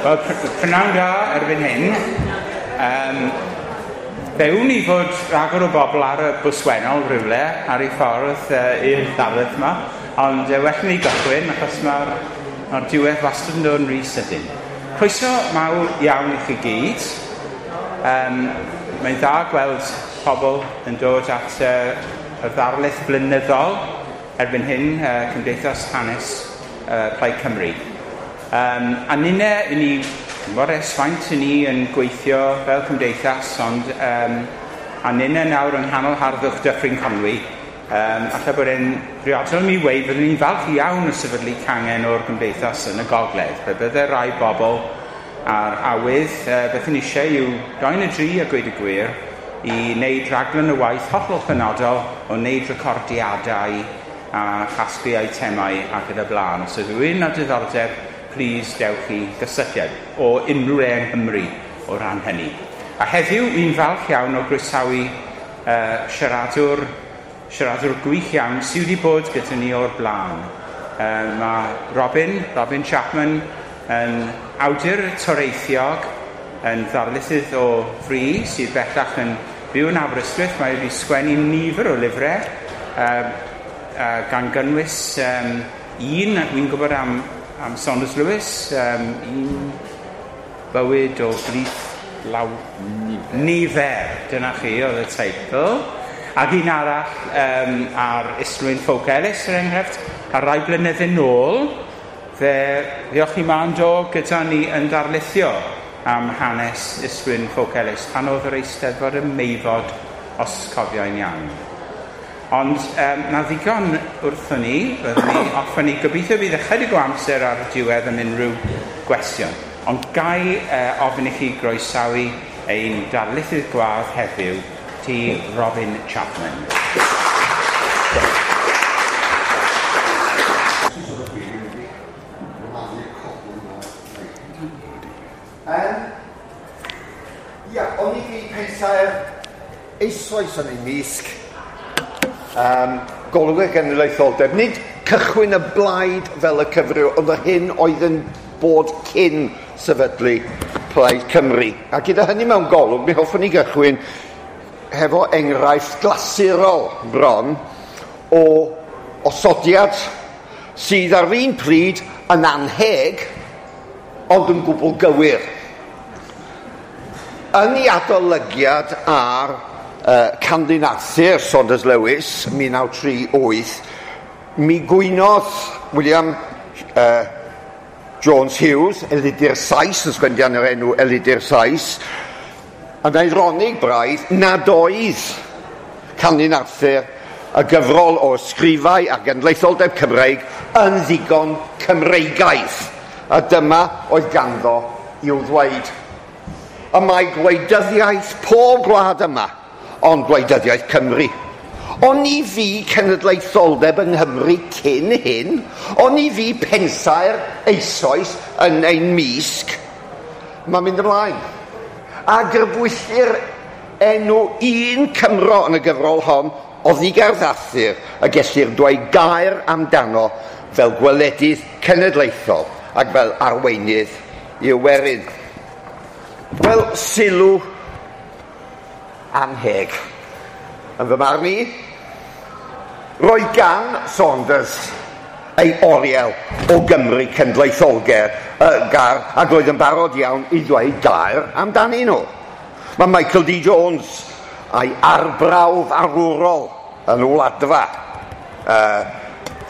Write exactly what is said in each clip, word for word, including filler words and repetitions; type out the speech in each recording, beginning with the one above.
Wel, prynawn da erbyn hyn. Um, fe wn i fod rhagor o bobl ar y bws wennol rhywle ar ei ffordd uh, i'r ddarlith yma, ond uh, well ni gychwyn achos mae'r ma diwedd wastad yn dod yn rhy sydyn. Croeso mawr iawn i chi gyd. Um, mae'n dda gweld pobl yn dod at uh, y ddarlith blynyddol erbyn hyn, uh, Cymdeithas Hanes uh, Plaid Cymru. Um, a ninne, i ni, mor esfaint i ni yn gweithio fel cymdeithas, ond um, a ninne nawr yng nghanol harddwch Dyffryn Conwy, um, alla bod e'n briodol mi weud, byddwn ni'n falch iawn o sefydlu cangen o'r gymdeithas yn y gogledd. Fe bydde rai bobl a'r awydd, uh, beth yn eisiau yw dau neu dri a gweud y gwir, i wneud rhaglen o waith hollol penodol o wneud recordiadau a chasglu eitemau ac yn y blaen. Os ydw rhywun â diddordeb, please dewch i gysylltiad o unrhyw le yng Nghymru o ran hynny. A heddiw, mi'n falch iawn o groesawu uh, siaradwr, siaradwr gwych iawn sydd wedi bod gyda ni o'r blaen. Uh, mae Robin, Robin Chapman, yn awdur toreithiog, yn ddarlithydd o fri sydd bellach yn byw yn Aberystwyth. Mae wedi sgwennu nifer o lyfrau, uh, uh, gan gynnwys um, un, wi'n gwybod am am Saunders Lewis, um, un bywyd o blith law nifer. nifer, dyna chi oedd y teitl. Ac un arall um, ar Islwyn Ffowc Elis, er enghraifft, a rai blynydde nôl, fe ddiolch i ma'n do gyda ni yn darlithio am hanes Islwyn Ffowc Elis, pan oedd yr Eisteddfod ym Meifod, os cofio'n iawn. Ond um, na ddigon wrthon ni, byddwn ni offen ni, gobeithio bydd ychydig o amser ar y diwedd am unrhyw gwestiwn. Ond gai uh, ofyn i chi groesawu ein darlithydd gwadd heddiw, ti Robin Chapman. Um, ia, o'n i fi pensaer eisoes yn ei misg. Um, golwg genedlaetholdeb. Nid cychwyn y blaid fel y cyfryw, ond yr hyn oedd yn bod cyn sefydlu Plaid Cymru. A gyda hynny mewn golwg, mi hoffwn i gychwyn hefo enghraifft glasurol bron o osodiad sydd ar un pryd yn anheg, ond yn gwbl gywir. Yn ei adolygiad ar Uh, Candyn Arthur, Saunders Lewis, mil naw tri wyth, mi gwynodd William uh, Jones Hughes, Elidir Sais, yn sgwennu yr enw Elidir Sais, yn eironig braidd, nad oedd Candyn Arthur y gyfrol o ysgrifau a genedlaetholdeb Cymreig yn ddigon Cymreigaidd. A dyma oedd ganddo i'w ddweud. Y mae gwleidyddiaeth pob gwlad yma, ond gwleidyddiaeth Cymru. Oni fi cenedlaetholdeb yng Nghymru cyn hyn, oni fi pensaer eisoes yn ein misg, mae'n mynd ymlaen. A grybwyllir enw un Cymro yn y gyfrol hon, Oddigerdd Arthur, y gellir dweud gair amdano fel gweledydd cenedlaethol ac fel arweinydd i'w werin. Wel, sylw anheg. Yn fy marn i, roedd gan Saunders ei oriel o Gymru cenedlaetholgar uh, gar, ac roedd yn barod iawn i ddweud gair amdanyn nhw. Mae Michael D. Jones a'i arbrawf arwrol yn Wladfa uh,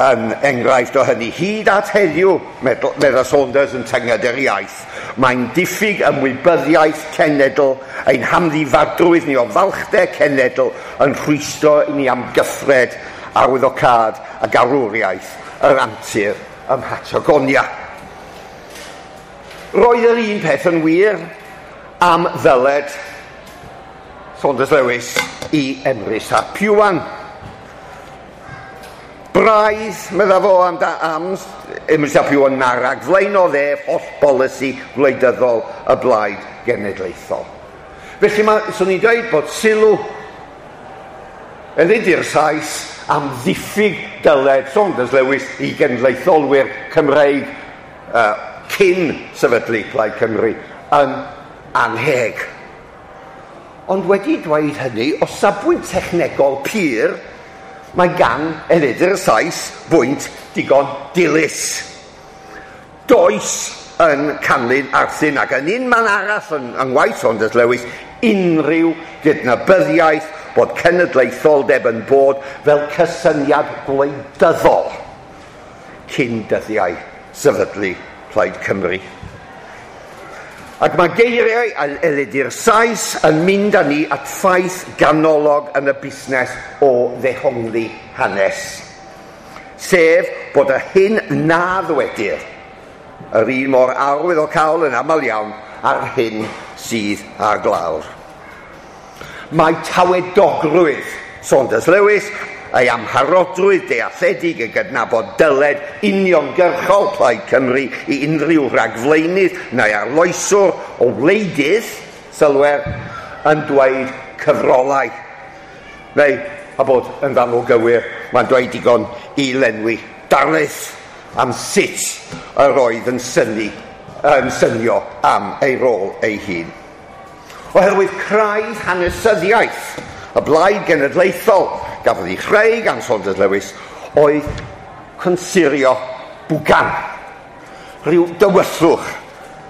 yn enghraifft o hynny. Hyd at heddiw, medda Saunders yn tynged yr iaith, mae'n diffyg ymwybyddiaeth cenedl, ein hamddifadrwydd ni o falchder cenedl yn rhwystro i ni amgyffred arwyddocâd a garwriaeth yr antur ym Mhatagonia. Roedd yr un peth yn wir am ddyled Saunders Lewis i Emrys ap Iwan. Braidd, medda fo am, da, am Emrys ap Iwan Narag, flaenodd ef holl bolisi gwleidyddol y blaid genedlaethol. Felly mae, swn i'n dweud bod sylw Elidir Sais am ddiffyg dyled Saunders Lewis i genedlaetholwyr Cymreig uh, cyn sefydlu Plaid Cymru yn anheg. Ond wedi dweud hynny, o safbwynt technegol pur, mae gan Elidir Sais bwynt digon dilys. Does yn canlyn Arthur ac yn un man arall yn, yng ngwaith Saunders Lewis unrhyw gydnabyddiaeth bod cenedlaetholdeb yn bod fel cysyniad gwleidyddol cyn dyddiau sefydlu Plaid Cymru. Ac mae geiriau Elidir Sais yn mynd â ni at ffaith ganolog yn y busnes o ddehongli hanes. Sef bod y hyn na ddwedir yr un mor arwyddocaol yn aml iawn ar hyn sydd ar glawr. Mae tawedogrwydd Saunders Lewis, ei amharodrwydd dealledig y gydnabod dyled uniongyrchol Plaid Cymru i unrhyw ragflaenydd neu arloeswr o wleidydd, sylwer, yn dweud cyfrolau. Neu, a bod yn fanwl gywir, mae'n dweud digon i lenwi darlith am sut yr oedd yn synnu, yn synio am ei rôl ei hun. Oherwydd craidd hanesyddiaeth y blaid genedlaethol gafodd ei chreu gan Saunders Lewis oedd consurio bwgan, rhyw dywyllwch,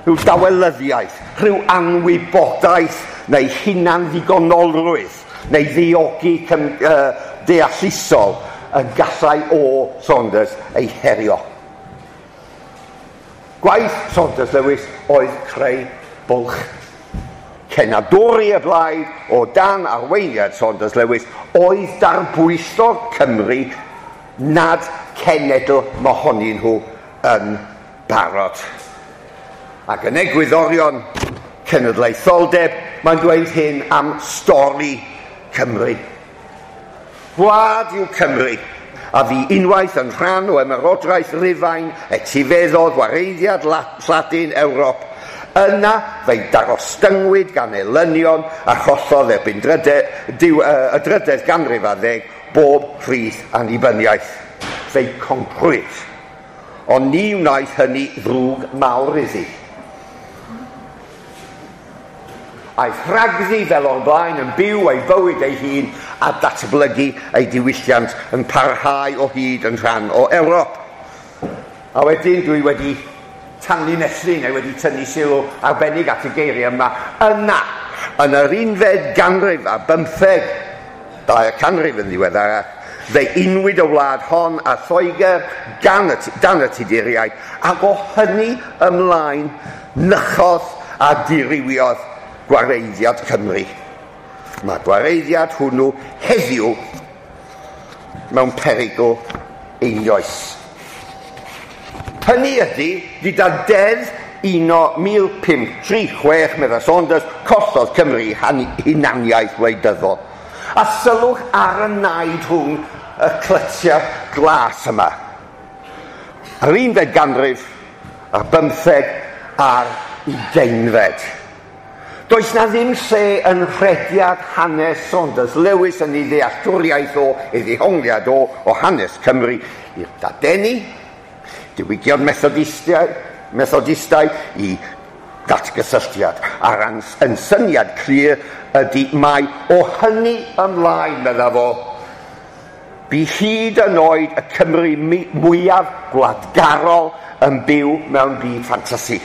rhyw dawelyddiaeth, rhyw anwybodaeth neu hunan ddigonolrwydd neu ddiogi cym, uh, deallusol y gallai o Saunders ei herio. Gwaith Saunders Lewis oedd creu bwlch. Cenadwri y blaid o dan arweiniad Saunders Lewis oedd darbwyllo Cymru nad cenedl mohonyn nhw yn barod. Ac yn egwyddorion cenedlaetholdeb, mae'n dweud hyn am stori Cymru. Gwlad yw Cymru, a fi unwaith yn rhan o ymerodraeth Rufain, etifeddodd wareiddiad Lladin Ewrop. Yna fe'i darostyngwyd gan elynion a chollodd erbyn dryde, diw, uh, y drydedd ganrif ar ddeg bob rhith annibyniaeth. Fe'i concrwyd. Ond ni wnaeth hynny ddrwg mawr iddi. Aeth rhagddi fel o'r blaen yn byw ei bywyd ei hun a datblygu ei diwylliant yn parhau o hyd yn rhan o Ewrop. A wedyn dwi wedi tanlinellu neu wedi tynnu sylw arbennig at y geiriau yma. Yna, yn yr unfed ganrif a bymtheg, dair canrif yn ddiweddarach, fe unwyd y wlad hon a Lloegr gan y, dan y Tuduriaid, ac o hynny ymlaen nychodd a dirywiodd gwareiddiad Cymru. Mae gwareiddiad hwnnw heddiw mewn perygl einioes. Hynny ydy, gyda deddf uno mil pump tri chwech, medda Saunders, collodd Cymru hunaniaeth wleidyddol. A sylwch ar y naid rhwng y clytiau glas yma. Yr unfed ganrif, a'r bymtheg a'r ugeinfed. Does na ddim lle yn rhediad hanes Saunders Lewis yn ei ddealltwriaeth o, ei ddehongliad o, o hanes Cymru i'r dadeni, diwygion Methodistau, Methodistau i datgysylltiad. A'r yn syniad clir ydy mai o hynny ymlaen, medda fo, bu hyd yn oed y Cymru mwyaf gwladgarol yn byw mewn byd ffantasi.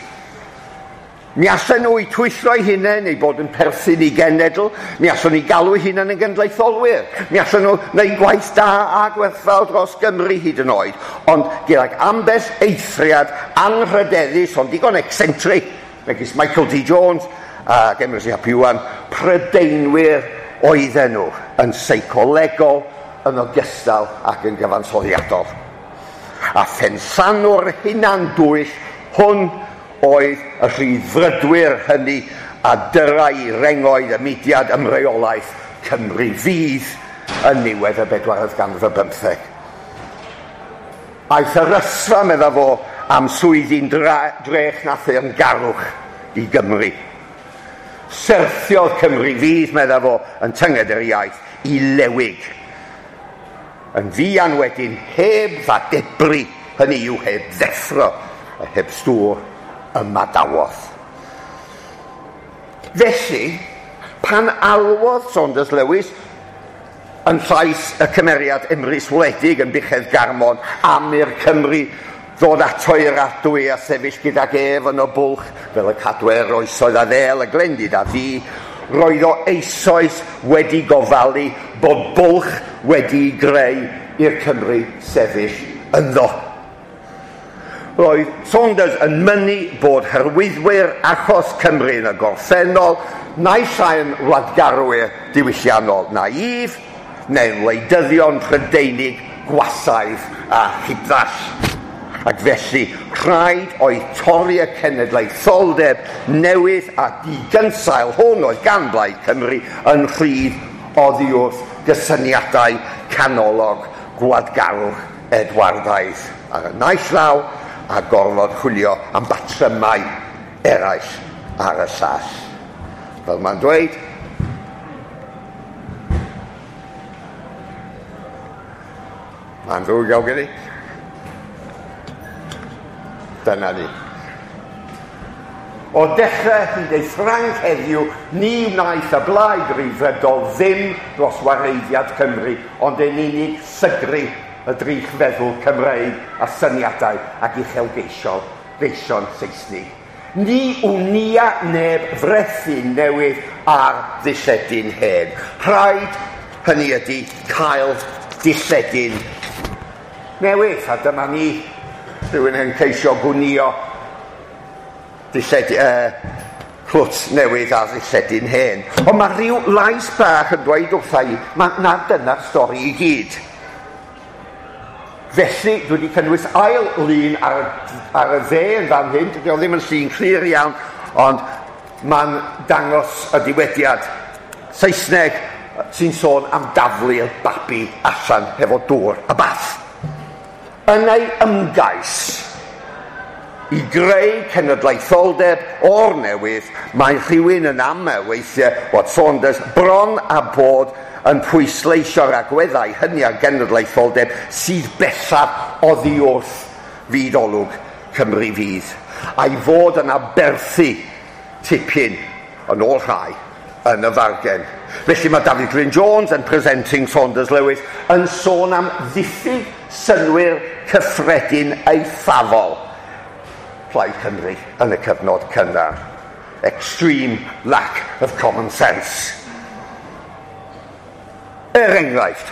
Mi allan nhw i twyllo eu hunain neu bod yn perthyn i genedl, mi allan nhw i galw eu hunain yn genedlaetholwyr, mi allan nhw wneud gwaith da a gwerthfawr dros Gymru hyd yn oed, ond gydag ambell eithriad anrhydeddus ond digon eccentric, megis Michael D. Jones ac Emrys ap Iwan, Prydeinwyr oedden nhw yn seicolegol yn ogystal ac yn gyfansoddiadol. A phenllanw'r hunan dwyll hwn oedd y rhyddfrydwyr hynny a dyrau rengoedd y mudiad ymreolaeth Cymru Fydd yn niwedd y bedwaredd ganrif ar bymtheg. Aeth yr ysfa, medda fo, am swyddi'n drech na theyrngarwch i Gymru. Syrthiodd Cymru Fydd, medda fo, yn tynged yr iaith, i lewig. Yn fuan wedyn, heb ddadebru, hynny yw heb ddeffro, a heb stŵr ymadawodd. Felly, pan alwodd Saunders Lewis yn llais y cymeriad Emrys Wledig yn Buchedd Garmon am i'r Cymru ddod ato i'r adwy a sefyll gydag ef yn y bwlch fel y cadwer oesoedd a ddel y glendid a ddi, roedd o eisoes wedi gofalu bod bwlch wedi'i greu i'r Cymru sefyll ynddo. Roedd Saunders yn mynnu bod hyrwyddwyr achos Cymru yn y gorffennol, naill ai'n wladgarwyr diwylliannol naïf, neu'n wleidyddion Prydeinig gwasaidd a hudall. Ac felly, rhaid oedd torri y cenedlaetholdeb newydd a digynsail hwn oedd gan Blaid Cymru yn rhydd oddi wrth gysyniadau canolog gwladgarwch Edwardaidd ar y naill law a gorfod chwilio am batrymau eraill ar y llall. Fel mae'n dweud, mae'n ddrwg iawn gen i. Dyna ni. O dechrau hyd ei Ffrainc heddiw, ni wnaeth y Blaid Ryddfrydol ddim dros wareiddiad Cymru, ond yn unig sygru y drych feddwl Cymreig a syniadau ac uchelgeisiol geision Saesnig. Ni wnia neb frethu newydd ar ddilledyn hen. Rhaid, hynny ydy, cael dilledyn newydd. A dyma ni, rhywun yn ceisio gwnio dilled, uh, clwt newydd a ddilledyn hen. Ond mae rhyw lais bach yn dweud wrtha i, ma, na dyna'r stori i gyd. Felly, dwi wedi cynnwys ail lun ar, ar y dde yn fan hyn. Dydy o ddim yn llun clir iawn, ond mae'n dangos y diwediad Saesneg sy'n sôn am daflu'r babi allan hefo dŵr a bath. Yn ei ymgais i greu cenedlaetholdeb o'r newydd, mae rhywun yn amau weithiau bod Saunders bron a bod yn pwysleisio'r agweddau hynny ar genedlaetholdeb sydd bellaf oddi wrth fyd olwg Cymru fydd, a'i fod yn aberthu tipyn yn ôl rhai yn y fargen. Felly mae Dafydd Glyn Jones yn Presenting Saunders Lewis yn sôn am ddiffyg synnwyr cyffredin eithafol Plaid Cymru yn y cyfnod cynnar. Extreme lack of common sense. Er enghraifft,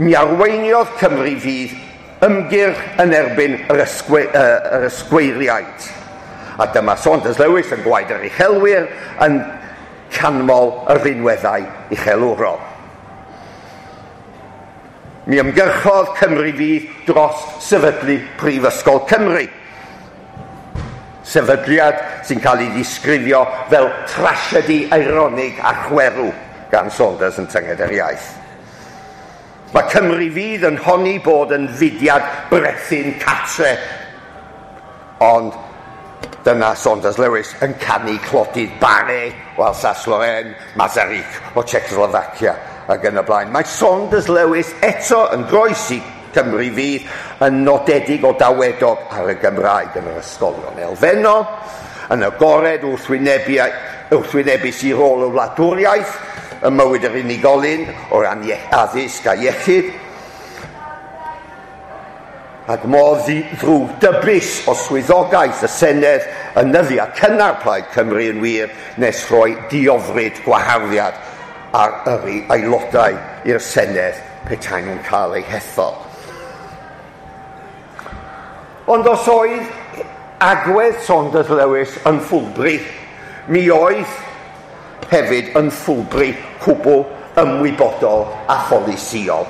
mi arweiniodd Cymru fydd ymgyrch yn erbyn yr, ysgwe, uh, yr ysgweiriaid. A dyma Saunders Lewis yn gwaed yr uchelwyr yn canmol yr rinweddau uchelwrol. Mi ymgyrchodd Cymru fydd dros sefydlu Prifysgol Cymru. Sefydliad sy'n cael ei ddisgrifio fel trasiedi eironig a chwerw gan Saunders yn Tynged yr Iaith. Mae Cymru fydd yn honni bod yn fudiad brethyn catre, ond dyna Saunders Lewis yn canu clodydd Barre o Alsace-Lorraine, Masaryk o Czechoslovacia ac yn y blaen. Mae Saunders Lewis eto yn groes i Cymru fydd yn nodedig o dawedog ar y Gymraeg yn yr ysgolion elfennol, yn agored wrthwynebu, wrthwynebus i rôl y wladwriaeth, ym mywyd yr unigolyn o ran addysg a iechyd, ac mor ddrwg dybus o swyddogaeth y Senedd yn nyddiau cynnar Plaid Cymru yn wir nes rhoi diofryd gwaharddiad ar yrru aelodau i'r Senedd petai nhw'n cael eu hethol. Ond os oedd agwedd Saunders Lewis yn ffwlbri, mi oedd hefyd yn ffwlbri cwbl ymwybodol a pholisïol.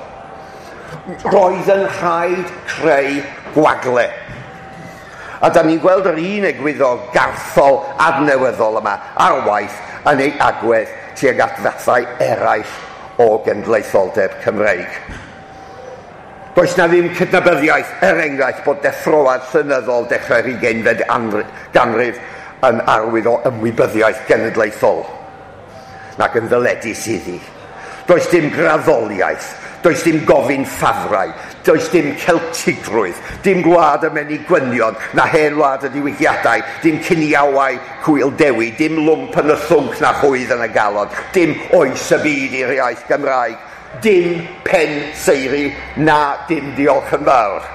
Roedd yn rhaid creu gwagle. A da ni'n gweld yr un egwyddor garthol adnewyddol yma ar waith yn ei agwedd tuag at fathau eraill o genedlaetholdeb Cymreig. Does na ddim cydnabyddiaeth, er enghraifft, bod deffroad llenyddol dechrau'r ugeinfed ganrif yn arwydd o ymwybyddiaeth genedlaethol, nac yn ddyledus iddi. Does dim graddoliaeth, does dim gofyn ffafrau, Does dim Celtigrwydd, dim gwlad y menig gwynion, na hen wlad y diwygiadau, dim ciniawau cwyl dewi, dim lwmp yn y llwnc na chwydd yn y galon, dim oes y byd i'r iaith Gymraeg, dim pen seiri na dim diolch yn fawr.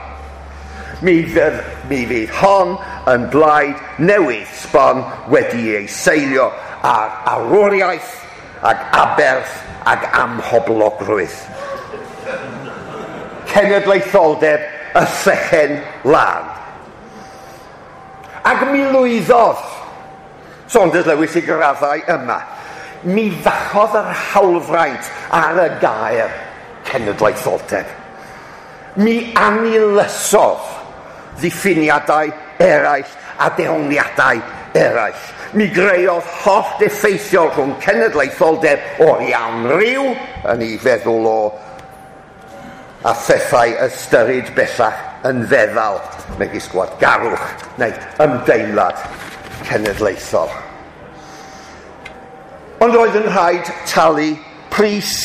Mi fydd, mi fydd hon yn blaid newydd sbon wedi ei seilio ar arwriaeth ag aberth ag amhoblogrwydd. Cenedlaetholdeb y llechen lân. Ac mi lwyddodd Saunders Lewis i graddau yma. Mi fachodd yr hawlfraint ar y gair cenedlaetholdeb. Mi anilysodd ddiffiniadau eraill a dehongliadau eraill. Mi greodd hollt effeithiol rhwng cenedlaetholdeb o'r iawn ryw, yn ei feddwl o a phethau ystyrid bellach yn feddal, megis gwladgarwch neu ymdeimlad cenedlaethol. Ond roedd yn rhaid talu pris,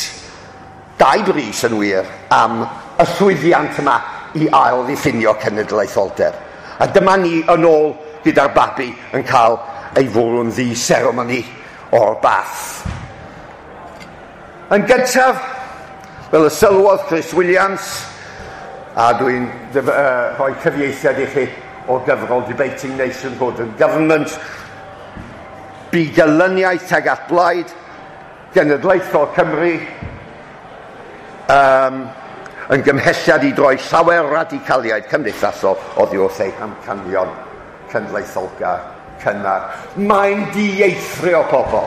dau bris yn wir, am y llwyddiant yma i ail ddiffinio cenedlaetholdeb. A dyma ni yn ôl gyda'r babi yn cael ei fwrw'n ddi-seremoni o'r bath. Yn gyntaf, fel y sylwodd Chris Williams, a dwi'n uh, rhoi cyfieithiad i chi o gyfrol Debating Nationhood and Government, bu gelyniaeth tuag at blaid genedlaethol Cymru um, yn gymhelliad i droi llawer radicaliaid cymdeithasol oddi wrth eu hamcanion cenedlaetholgar cynnar. Mae'n dieithrio pobl.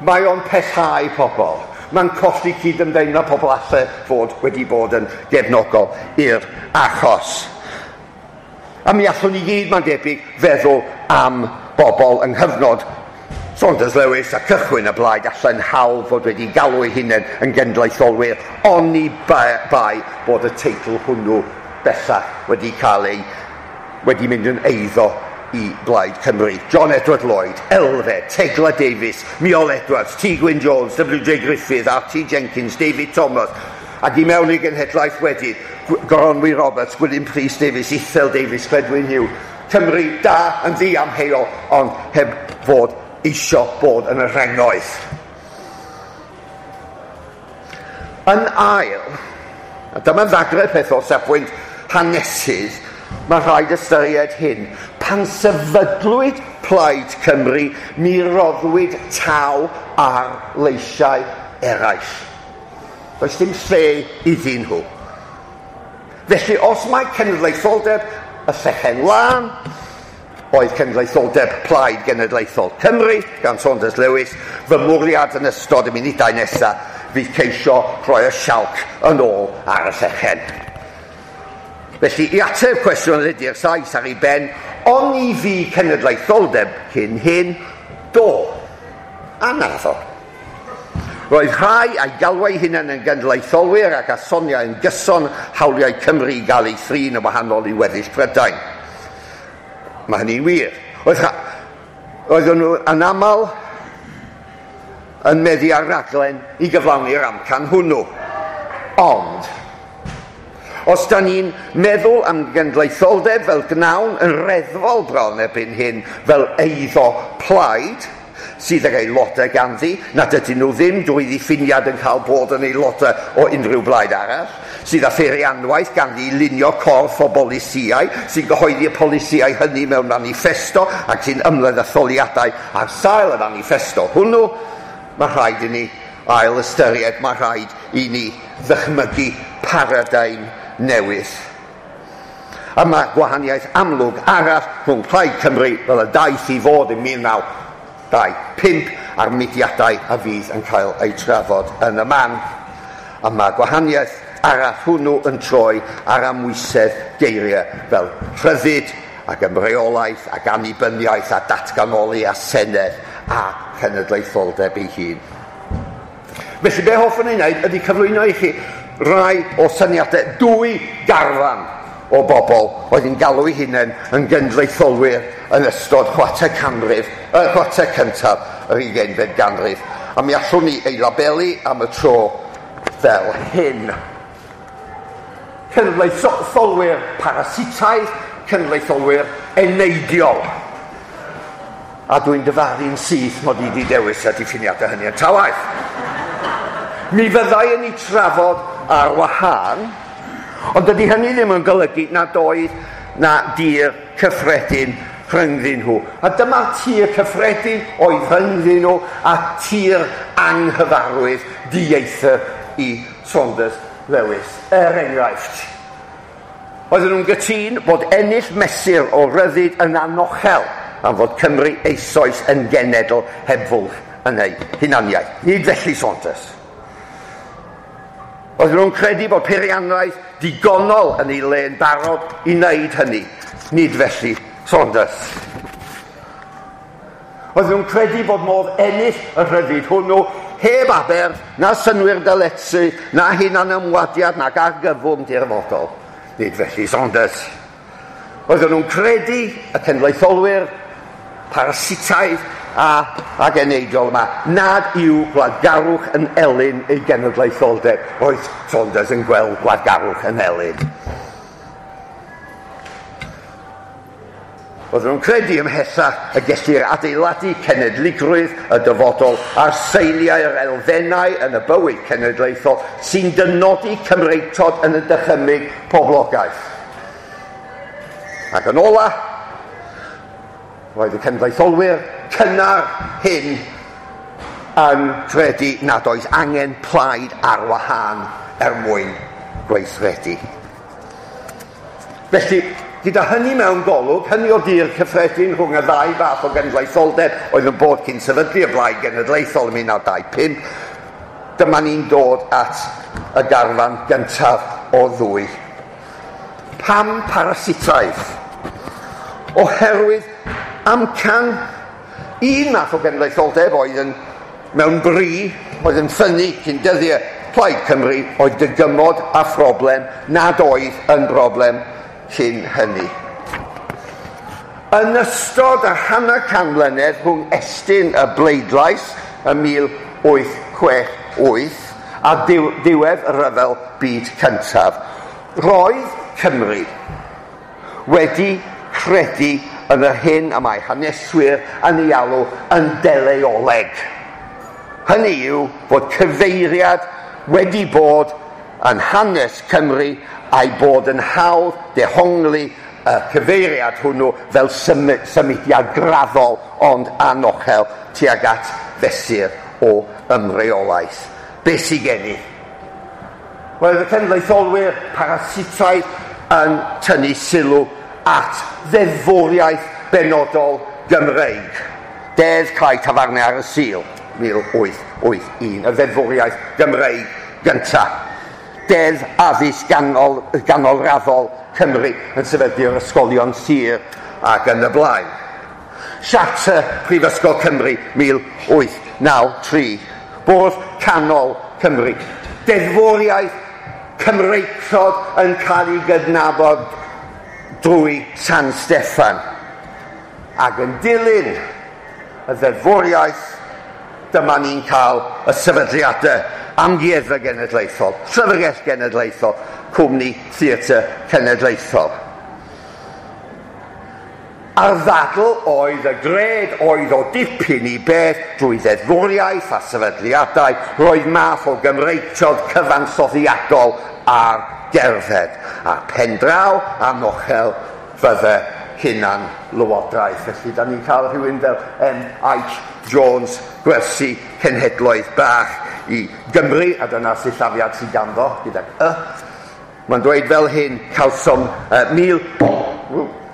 Mae o'n pellhau pobl. Mae'n colli cydymdeimlad pobl alle fod wedi bod yn gefnogol i'r achos. A mi allwn ni gyd, mae'n debyg, feddwl am bobl yng nghyfnod Saunders Lewis a cychwyn y blaid allan hawdd fod wedi galw eu hunain yn genedlaetholwyr, oni bai bod y teitl hwnnw bellach wedi cael ei wedi mynd yn eiddo i Blaid Cymru. John Edward Lloyd, Elfed, Tegla Davies, Miol Edwards, T. Gwyn Jones, W J Griffith, R T Jenkins, David Thomas, ac i mewn i genhedlaeth wedyn, Goronwy Roberts, Gwilym Prys Davies, Ithel Davies, Cledwyn Hughes. Cymru da yn ddiamheuol, ond heb fod isio bod yn y rhengoedd. Yn ail, a dyma ddagre peth o safbwynt hanesydd, mae rhaid ystyried hyn. Pan sefydlwyd Plaid Cymru, mi roddwyd taw ar leisiau eraill. Does dim lle iddyn nhw. Felly, os mae cenedlaetholdeb y llechen lân, oedd cenedlaetholdeb Plaid Genedlaethol Cymru gan Saunders Lewis, fy mwriad yn ystod y munudau nesaf fydd ceisio rhoi y sialc yn ôl ar y llechen. Felly, i ateb cwestiwn ydy'r Sais ar ei ben, oni fi cenedlaetholdeb cyn hyn, do, a naddo. Roedd rhai a'i galwau hunain yn genedlaetholwyr ac a soniau yn gyson hawliau Cymru i gael ei thrin yn wahanol i weddill Prydain. Mae hynny'n wir. Roedd Oedden nhw yn aml yn meddu ar raglen i gyflawni'r amcan hwnnw. Ond, os da ni'n meddwl am genedlaetholdeb fel gnawn yn reddfol bron erbyn hyn fel eiddo plaid, sydd ag aelodau ganddi, nad ydyn nhw ddim drwy ddiffiniad yn cael bod yn aelodau o unrhyw blaid arall, sydd â pheirianwaith ganddi i lunio corff o bolisïau, sy'n gyhoeddi y polisïau hynny mewn manifesto ac sy'n ymladd etholiadau ar sail y manifesto hwnnw, mae rhaid i ni ail ystyried, mae rhaid i ni ddychmygu paradigm newydd. A mae gwahaniaeth amlwg arall rhwng Plaid Cymru fel y daeth i fod yn mil naw dau pump a'r mudiadau a fydd yn cael eu trafod yn y man. A mae gwahaniaeth arall hwnnw yn troi ar amwysedd geiriau fel rhyddid ac ymreolaeth ac annibyniaeth a datganoli a senedd a chenedlaetholdeb ei hun. Felly be hoffwn ei wneud ydy cyflwyno i chi rai o syniadau dwy garfan o bobl oedd yn galw eu hunain yn genedlaetholwyr yn ystod chwarter canrif, y chwarter cyntaf yr ugeinfed ganrif. A mi allwn ni ei labelu am y tro fel hyn. Cenedlaetholwyr parasitaidd, cenedlaetholwyr eneidiol. A dwi'n dyfaru'n syth mod i wedi dewis y diffiniadau hynny yn ta waeth. Mi fyddai yn ei trafod ar wahân, ond dydy hynny ddim yn golygu nad oedd na dir cyffredin rhyngddyn nhw. A dyma'r tir cyffredin oedd rhyngddyn nhw a tir anghyfarwydd dieithr i Saunders Lewis. Er enghraifft, oedden nhw'n gytûn bod ennill mesur o ryddid yn anochel am fod Cymru eisoes yn genedl heb fwlch yn ei hunaniaeth. Nid felly Saunders. Oedden nhw'n credu bod peirianwaith digonol yn ei le'n barod i wneud hynny. Nid felly Saunders. Oedden nhw'n credu bod modd ennill y rhyddid hwnnw heb aberth, na synwyr dyletsu, na hunanymwadiad, nac argyfwng dirfodol. Nid felly Saunders. Oedden nhw'n credu y cenedlaetholwyr parasitaidd a ac eneidiol yma nad yw gwladgarwch yn elyn ei genedlaetholdeb. Roedd Saunders yn gweld gwladgarwch yn elyn. Oedden nhw'n credu ymhellach y gellir adeiladu cenedligrwydd y dyfodol ar seiliau'r elfennau yn y bywyd cenedlaethol sy'n dynodi Cymreictod yn y dychymyg poblogaeth. Ac yn ola, roedd y cenedlaetholwyr cynnar hyn yn credu nad oes angen plaid ar wahân er mwyn gweithredu. Felly, gyda hynny mewn golwg, hynny o dir cyffredin rhwng y ddau fath o genedlaetholdeb oedd yn bod cyn sefydlu y Blaid Genedlaethol ym mil naw dau pump, dyma ni'n dod at y garfan gyntaf o ddwy. Pam parasitaidd? Oherwydd amcan un math o genedlaetholdeb oedd yn mewn bri, oedd yn ffynnu cyn dyddiau Plaid Cymru, oedd dygymod a phroblem nad oedd yn broblem cyn hynny. Yn ystod y hanner can mlynedd rhwng estyn y bleidlais ym mil wyth chwech wyth a diw diwedd y Rhyfel Byd Cyntaf, roedd Cymru wedi credu yn yr hyn y mae haneswyr yn ei alw yn deleoleg. Hynny yw bod cyfeiriad wedi bod yn hanes Cymru a'i bod yn hawdd dehongli y cyfeiriad hwnnw fel symudiad graddol ond anochel tuag at fesur o ymreolaeth. Be sydd gen i? Wel, y cenedlaetholwyr parasitaidd yn tynnu sylw at ddeddfwriaeth benodol Gymreig. Deddf Cau Tafarnau ar y Sul, mil wyth wyth un, y ddeddfwriaeth Gymreig gyntaf. Deddf Addysg ganol, Ganolraddol Cymru yn sefydlu'r ysgolion sir ac yn y blaen. Siarter Prifysgol Cymru mil wyth naw tri, Bwrdd Canol Cymru. Deddfwriaeth Cymreictod yn cael ei gydnabod drwy San Steffan. Ac yn dilyn y ddeddfwriaeth, dyma ni'n cael y sefydliadau Amgueddfa Genedlaethol, Llyfrgell Genedlaethol, Cwmni Theatr Cenedlaethol. A'r ddadl oedd y gred oedd o dipyn i beth drwy ddeddfwriaeth a sefydliadau, roedd math o Gymreictod cyfansoddiadol ar gerdded. A pendraw anochel fydde hunan lywodraeth. Felly, da ni'n cael rhywun fel M H Jones, gwersi cenhedloedd bach i Gymru, a dyna sillafiad sydd ganddo gydag y. Mae'n dweud fel hyn, cawsom uh, mil,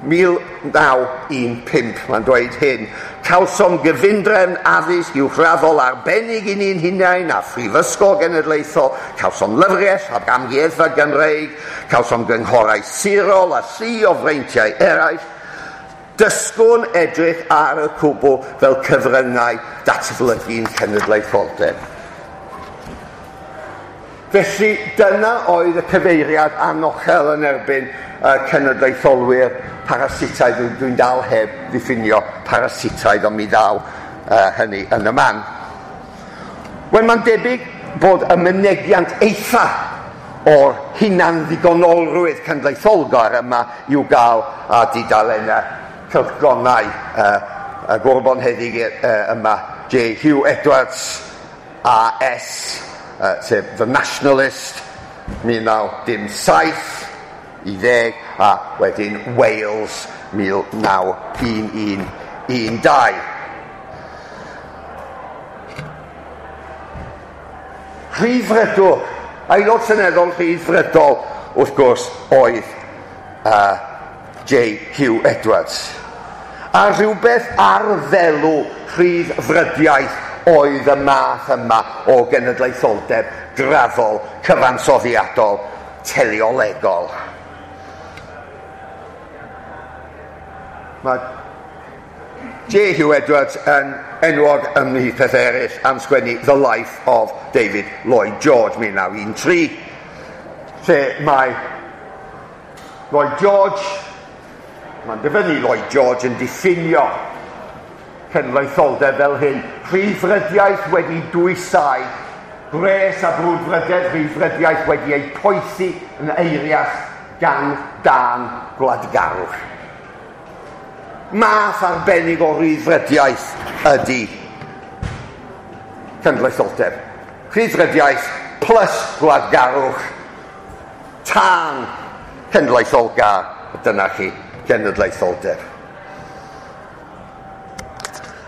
mil naw un pump, mae'n dweud hyn, cawsom gyfundrefn addysg uwchraddol arbennig i ni'n hunain a Phrifysgol Genedlaethol, cawsom lyfrgell ac amgueddfa Gymreig, cawsom gynghorau sirol a llu o freintiau eraill. Dysgwn edrych ar y cwbl fel cyfryngau datblygu'n cenedlaetholdeb. Felly dyna oedd y cyfeiriad anochel yn erbyn y cenedlaetholwyr parasitaidd. Dwi'n dwi dal heb ddiffinio parasitaidd, ond mi ddaw uh, hynny yn y man. Wel, mae'n debyg bod y mynegiant eitha o'r hunan-ddigonolrwydd cenedlaetholgar yma i'w gael ar dudalennau cylchgronau uh, y Gwr Bonheddig uh, yma, J. Hugh Edwards A S, uh, sef The Nationalist, mil naw dim saith i ddeg, a wedyn Wales, mil naw un un un dau. Rhyddfrydwr, aelod seneddol rhyddfrydol, wrth gwrs, oedd uh, J. Hugh Edwards. A rhywbeth ar ddelw rhyddfrydiaeth oedd y math yma o genedlaetholdeb graddol, cyfansoddiadol, teleolegol. Mae J. Hugh Edwards yn enwog ymhlith pethau eraill am sgwennu The Life of David Lloyd George mil naw un tri, lle mae Lloyd George, mae'n dyfynnu Lloyd George yn diffinio cenedlaetholdeb fel hyn: rhyddfrydiaeth wedi dwysau, gwres a brwdfrydedd rhyddfrydiaeth wedi ei poethi yn eirias gan dân gwladgarwch. Math arbennig o rhyddfrydiaeth ydy cenedlaetholdeb. Rhyddfrydiaeth plus gwladgarwch, tân cenedlaetholgar, dyna chi genedlaetholdeb.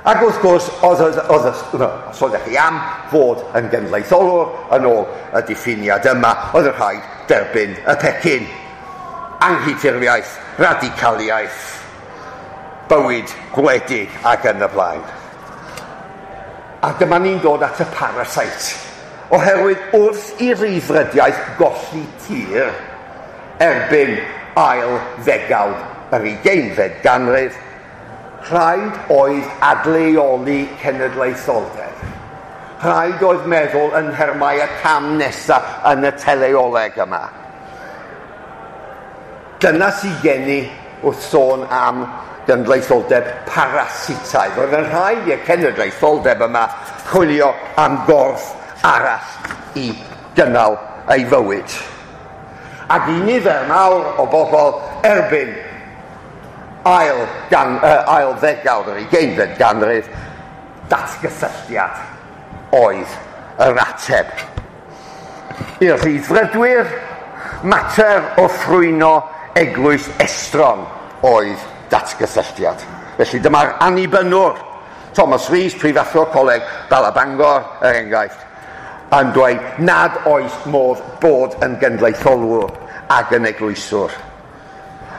Ac wrth gwrs, oedd, oedd, oedd, os oeddech chi am fod yn genedlaetholwr yn ôl y diffiniad yma, oedd yn rhaid derbyn y pecyn. Anghydffurfiaeth, radicaliaeth, bywyd gwledig ac yn y blaen. A dyma ni'n dod at y parasite. Oherwydd wrth i ryddfrydiaeth golli tir erbyn ail ddegawd yr ugeinfed ganrif, rhaid oedd adleoli cenedlaetholdeb. Rhaid oedd meddwl yn nhermau y cam nesaf yn y teleoleg yma. Dyna sydd gen i wrth sôn am genedlaetholdeb parasitaidd. Roedd yn rhaid i'r cenedlaetholdeb yma chwilio am gorff arall i gynnal ei fywyd. Ac i nifer mawr o bobl erbyn ail, gan, uh, ail ddegawd yr ugeinfed ganrif, datgysylltiad oedd yr ateb. I'r rhyddfrydwyr, mater o ffrwyno eglwys estron oedd datgysylltiad. Felly dyma'r annibynnwr, Thomas Rees, prifathro Coleg Bala Bangor, er enghraifft, yn dweud nad oes modd bod yn genedlaetholwr ac yn eglwyswr.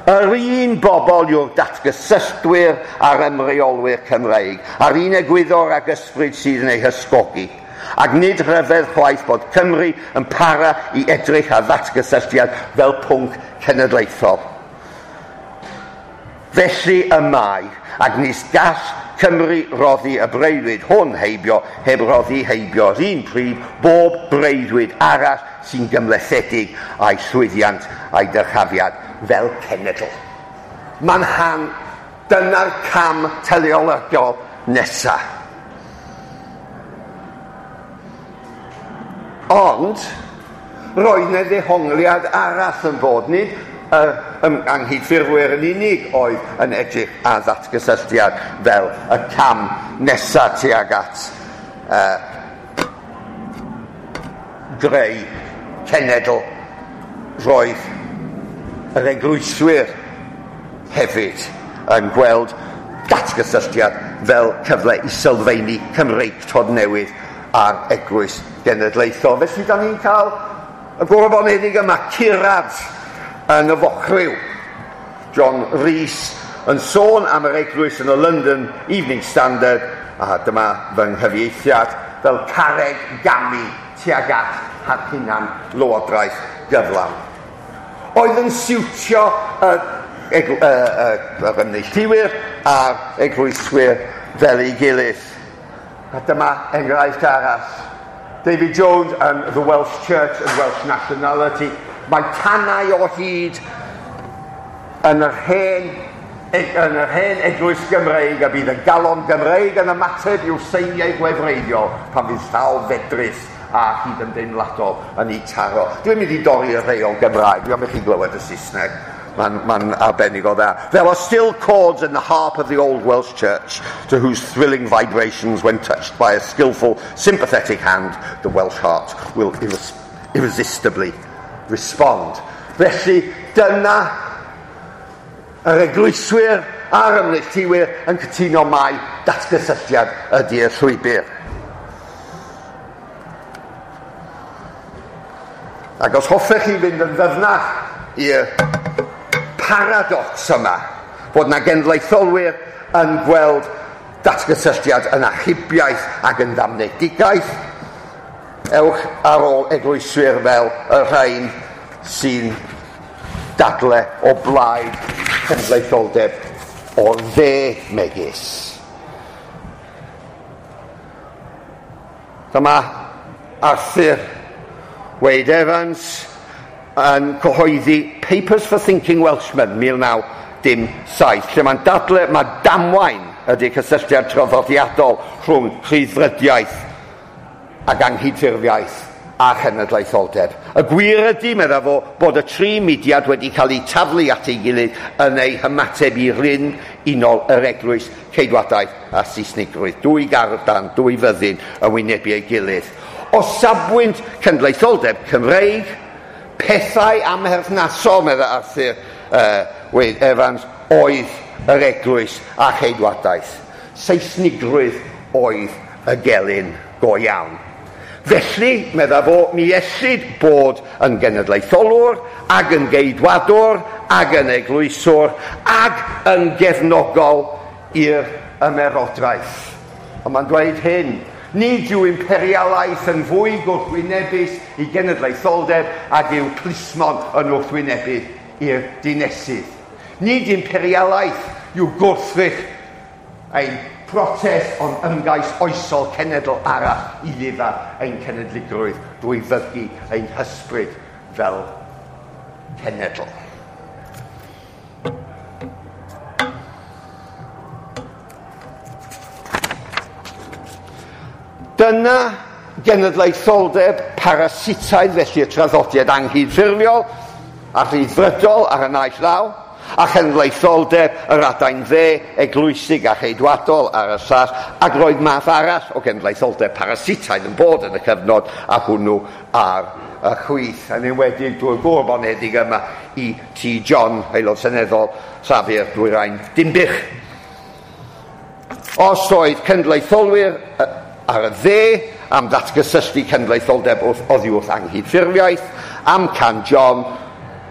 Yr un bobl yw'r datgysylltwyr a'r ymreolwyr Cymreig, a'r un egwyddor ag ysbryd sydd yn ei hysgogi. Ac nid rhyfedd chwaith bod Cymru yn para i edrych ar ddatgysylltiad fel pwnc cenedlaethol. Felly y mae, ac nis gall Cymru roddi y breuddwyd hwn heibio, heb roddi heibio'r un pryd bob breuddwyd arall sy'n gymhlethedig a'i llwyddiant a'i dyrchafiad fel cenedl. Mae'n han, dyna'r cam teleolegol nesaf. Ond, roedd 'na ddehongliad arall yn bod, nid yr anghydffurfwyr yn unig oedd yn edrych ar ddatgysylltiad fel y cam nesaf tuag at uh, greu cenedl. Roedd yr eglwyswyr hefyd yn gweld datgysylltiad fel cyfle i sylfaenu Cymreictod newydd a'r eglwys genedlaethol. Felly da ni'n cael y gwr bonheddig yma, curad yn y Fochriw. John Rhys yn sôn am yr eglwys yn y London Evening Standard, a dyma fy nghyfieithiad, fel carreg gamu tuag at hunan lywodraeth gyflawn. Oedd yn siwtio y, y, y, yr ymneilltuwyr a'r eglwyswyr fel ei gilydd. A dyma enghraifft arall. David Jones yn The Welsh Church and Welsh Nationality. Mae tanau o hyd yn yr hen, yn yr hen eglwys Gymreig, a bydd y galon Gymreig yn ymateb i'w seiniau gwefreiddiol pan fydd llaw fedrus a chydymdeimladol yn ei taro. Dwi'n mynd i dorri y rheol Gymraeg, dwi'n am i chi glywed y Saesneg. Mae'n ma arbennig o dda. There are still chords in the harp of the old Welsh church, to whose thrilling vibrations, when touched by a skillful, sympathetic hand, the Welsh heart will irres irresistibly respond. Felly, dyna yr eglwyswyr a'r ymneilltuwyr yn cytuno mai datgysylltiad ydy'r llwybr. Ac os hoffech chi fynd yn ddyfnach i'r paradox yma, fod na genedlaetholwyr yn gweld datgysylltiad yn achubiaeth ac yn ddamnedigaeth, ewch ar ôl eglwyswyr fel y rhain sy'n dadle o blaid cenedlaetholdeb o'r dde megis. Dyma Arthur Wade Evans yn cyhoeddi Papers for Thinking Welshmen mil naw dim saith, lle mae'n dadle mae damwain ydy cysylltiad traddodiadol rhwng rhyddfrydiaeth ac anghydffurfiaeth a chenedlaetholdeb. Y gwir ydy, medda fo, bod y tri mudiad wedi cael eu taflu at ei gilydd yn eu hymateb i ryn unol yr eglwys, ceidwadaeth a Saesnigrwydd. Dwy garfan, dwy fyddin yn wynebu ei gilydd. O safbwynt cenedlaetholdeb Cymreig, pethau amherthnasol, medda Arthur uh, Wade Evans, oedd yr eglwys a cheidwadaeth. Saesnigrwydd oedd y gelyn go iawn. Felly, medda fo, mi ellid bod yn genedlaetholwr, ag yn geidwadwr, ag yn eglwyswr, ag yn gefnogol i'r ymerodraeth. Ond mae'n dweud hyn, nid yw imperialaeth yn fwy gwrthwynebus i genedlaetholdeb ag yw plismon yn wrthwynebu i'r dinesydd. Nid imperialaeth yw gwrthrych ein protest ond ymgais oesol cenedl arall i ddifa ein cenedligrwydd drwy fygu ein hysbryd fel cenedl. Dyna genedlaetholdeb parasitaidd, felly y traddodiad anghydffurfiol a rhyddfrydol ar y naill law, a chenedlaetholdeb yr adain dde, eglwysig a cheidwadol ar y llall, ac roedd math arall o genedlaetholdeb parasitaidd yn bod yn y cyfnod, a hwnnw ar y chwith, yn enwedig drwy'r gŵr bonedig yma i T John, aelod seneddol Llafur Dwyrain Dinbych. Os oedd cenedlaetholwyr ar y dde am ddatgysylltu cenedlaetholdeb wrth oddi wrth anghydffurfiaeth, amcan John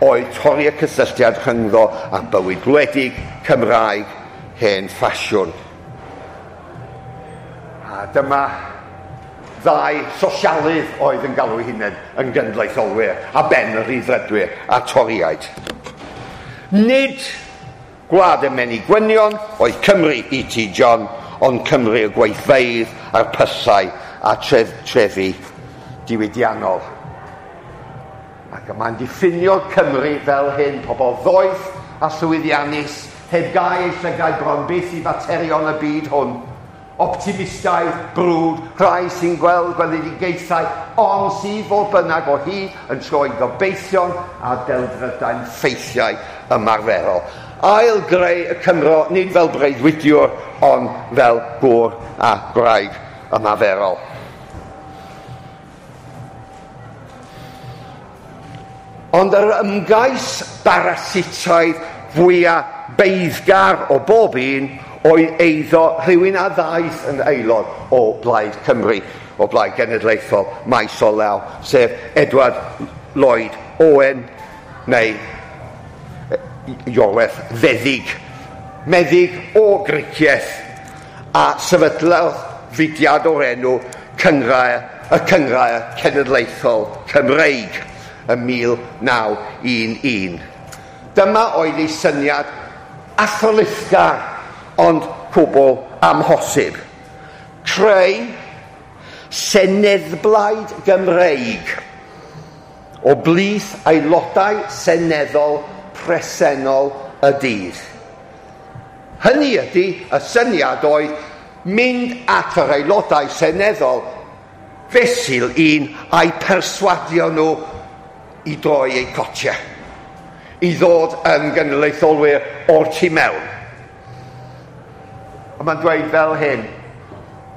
oedd torri y cysylltiad rhyngddo â bywyd gwledig Cymraeg hen ffasiwn. A dyma ddau sosialydd oedd yn galw eu hunain yn genedlaetholwyr, a ben y rhyddfrydwyr a Torïaid. Nid gwlad y menig gwynion oedd Cymru i T John, ond Cymru y gweithfeydd a'r pyllau a tref, trefi diwydiannol. Ac mae'n diffinio Cymru fel hyn, pobl ddoeth a llwyddiannus, heb gau eu llygaid bron byth i faterion y byd hwn. Optimistaidd, brwd, rhai sy'n gweld gweledigaethau, ond sydd fodd bynnag o hyd yn troi gobeithion a delfrydau'n ffeithiau ymarferol. Ail greu y Cymro, nid fel breuddwydiwr, ond fel gŵr a gwraig ymarferol. Ond yr ymgais barasitaidd fwyaf beiddgar o bob un oedd eiddo rhywun a ddaeth yn aelod o Blaid Cymru, o Blaid Genedlaethol maes o law, sef Edward Lloyd Owen, neu Iorwerth Feddyg. Meddyg o Gricieth, a sefydlodd fudiad o'r enw Cynghrair, y Cynghrair Cenedlaethol Cymreig ym mil naw un un. Dyma oedd ei syniad athrylithgar, ond cwbl amhosib. Creu seneddblaid Gymreig o blith aelodau seneddol presennol y dydd. Hynny ydy, y syniad oedd mynd at yr aelodau seneddol fesul un a'i perswadio nhw i droi eu cotiau, i ddod yn genedlaetholwyr o'r tu mewn. A mae'n dweud fel hyn: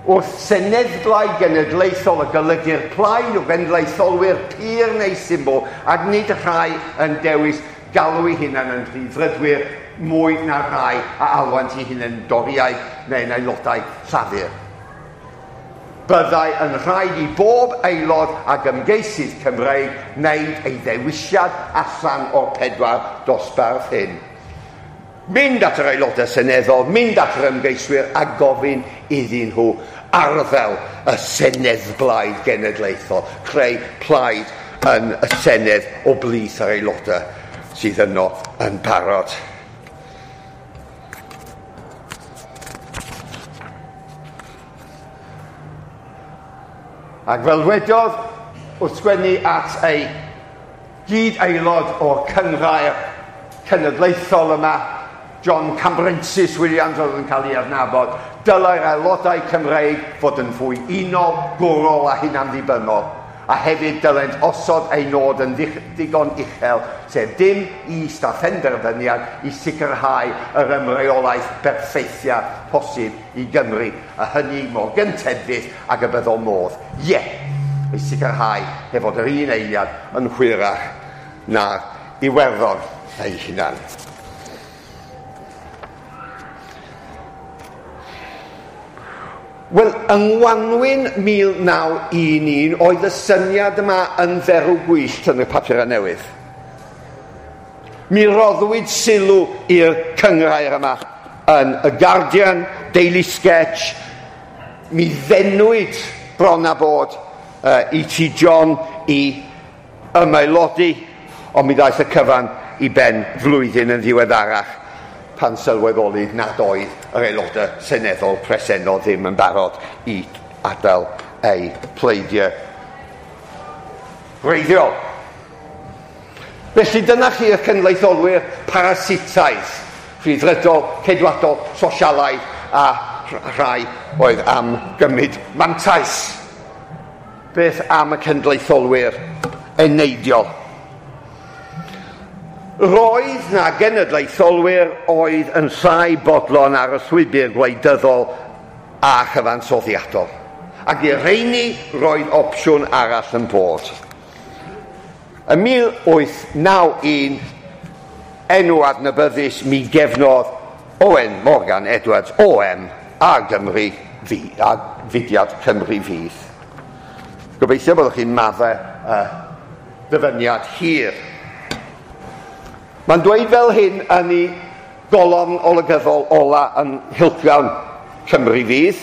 wrth seneddblaid genedlaethol y golygu'r plaid o genedlaetholwyr pur neu symbol, ac nid rhai yn dewis galw eu hunain yn rhyddfrydwyr mwy na rhai a alwant eu hunain Doriaid neu'n aelodau Llafur. Byddai yn rhaid i bob aelod ac ymgeisydd Cymreig wneud ei ddewisiad allan o'r pedwar dosbarth hyn. Mynd at yr aelodau seneddol, mynd at yr ymgeiswyr a gofyn iddyn nhw arddel y seneddblaid genedlaethol, creu plaid yn y senedd o blith yr aelodau sydd yno yn barod. Ac fel wedodd, wrth sgwennu at ei gyd-aelod o'r cynghrair cenedlaethol yma, John Cambrensis Williams oedd yn cael ei adnabod, dylai'r aelodau Cymreig fod yn fwy unol, gwrol a hunanddibynnol, a hefyd dylent osod ei nod yn ddigon uchel, sef dim is na phenderfyniad i sicrhau yr ymreolaeth berffeithia posib i Gymru, a hynny mor gynted fyth ag y byddo modd. Ie, yeah, i sicrhau heb fod yr un eiliad yn hwyrach na'r Iwerddon ei hunan. Wel, yng Ngwanwyn mil naw un un oedd y syniad yma yn dderw gwyllt yn y papurau newydd. Mi roddwyd sylw i'r cynghrair yma yn y Guardian, Daily Sketch. Mi ddenwyd bron a bod uh, E T John i ymaelodi, ond mi ddaeth y cyfan i ben flwyddyn yn ddiweddarach pan sylweddoli nad oedd yr aelodau seneddol presennol ddim yn barod i adael eu pleidiau gwreiddiol. Felly dyna chi y cenedlaetholwyr parasitaidd, rhyddfrydol, ceidwadol, sosialaidd a rhai oedd am gymryd mantais. Beth am y cenedlaetholwyr eneidiol? Roedd na genedlaetholwyr oedd yn llai bodlon ar y llwybr gwleidyddol a chyfansoddiadol. Ac i'r rheini roedd opsiwn arall yn bod. Ym mil wyth naw un, enw adnabyddus mi gefnodd Owen Morgan Edwards, O M, a Gymru fi, a fudiad Cymru Fydd. Gobeithio byddwch chi'n maddau uh, ddyfyniad hir. Mae'n dweud fel hyn yn ei golofn olygyddol ola yn Nghylchgrawn Cymru Fydd,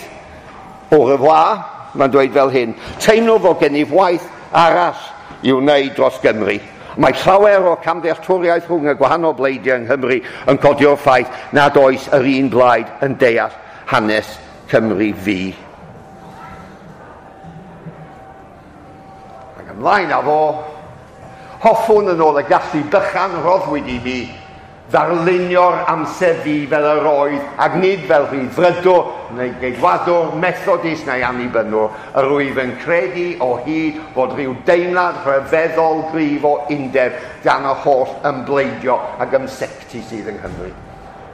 au revoir, mae'n dweud fel hyn: teimlo fod gennyf waith arall i'w wneud dros Gymru. Mae llawer o camddealltwriaeth rhwng y gwahanol bleidiau yng Nghymru yn codi o'r ffaith nad oes yr un blaid yn deall hanes Cymru Fu. Ac ymlaen â fo, hoffwn yn ôl y gallu bychan roddwyd i mi ddarlunio'r amser fi fel yr oedd, ac nid fel rhyddfrydwr neu geidwadwr, Methodist neu annibynnwr. Yr wyf yn credu o hyd fod rhyw deimlad rhyfeddol gryf o undeb gan y holl ymbleidio ac ymsectu sydd yng Nghymru.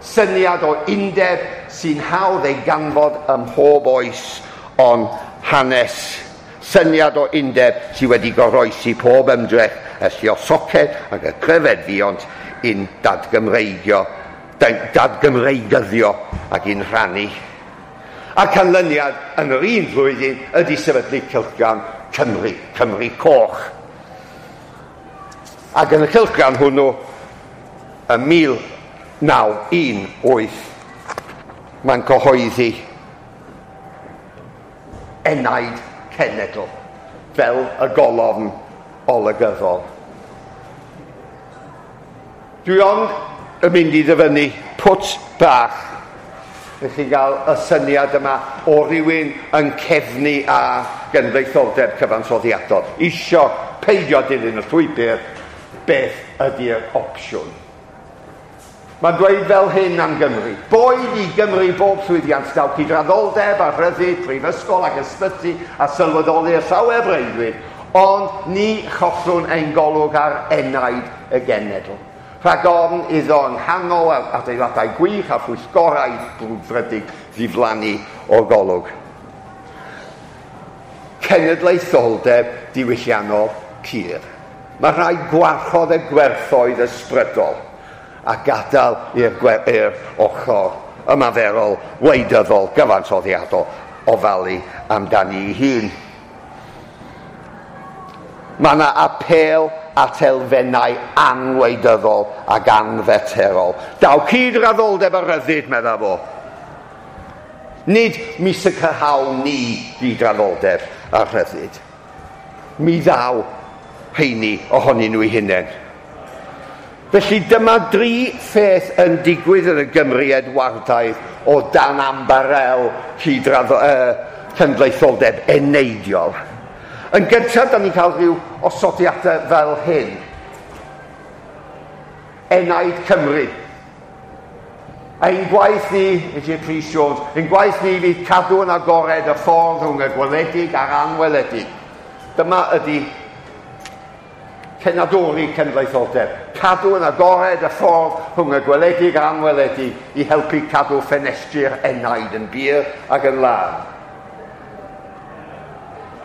Syniad o undeb sy'n hawdd ei ganfod ym mhob oes ond hanes. Syniad o undeb sydd wedi goroesi pob ymdrech y lluosoced ac y cryfed fuont i'n dadgymreigio, dadgymreigyddio ac i'n rhannu. A'r canlyniad yn yr un flwyddyn ydy sefydlu Cylchgrawn Cymru, Cymru Coch. Ac yn y cylchgrawn hwnnw, ym mil naw un wyth, mae'n cyhoeddi enaid cenedl fel y golofn olygyddol. Dwi ond yn mynd i ddyfynnu pwt bach i chi gael y syniad yma o rywun yn cefnu a genedlaetholdeb cyfansoddiadol. Isio peidio dilyn y llwybr, beth ydy'r opsiwn? Mae'n dweud fel hyn am Gymru. Boed i Gymru bob llwyddiant daw cydraddoldeb a rhyddid, prifysgol ac ysbyty a sylweddoli'r llawer breuddwyd, ond ni chollwn ein golwg ar enaid y genedl. Rhag ofn iddo yng nghanol adeiladau gwych a phwyllgorau brwdfrydig ddiflannu o'r golwg. Cenedlaetholdeb diwylliannol pur. Mae rhaid gwarchod y gwerthoedd ysbrydol a gadael i'r ochr ymaferol, wleidyddol, gyfansoddiadol ofalu amdani ei hun. Mae yna apêl at elfennau anwleidyddol ac anfeterol. Daw cydraddoldeb a rhyddid, medda fo. Nid mi sicrhawn ni gydraddoldeb a rhyddid. Mi ddaw heini ohonyn nhw eu hunain. Felly dyma dri pheth yn digwydd yn y Gymru Edwardaidd o dan ambarel cydraddo, uh, cenedlaetholdeb eneidiol. Yn gyntaf, da ni'n cael rhyw osodiadau fel hyn. Enaid Cymru. Ein gwaith ni, A J Prys Jones, ein gwaith ni fydd cadw yn agored y ffordd rhwng y gweledig a'r anweledig. Dyma ydy cenadwri cenedlaetholdeb. Cadw yn agored y ffordd rhwng y gweledig a'r anweledig i helpu cadw ffenestri'r enaid yn bur ac yn lân.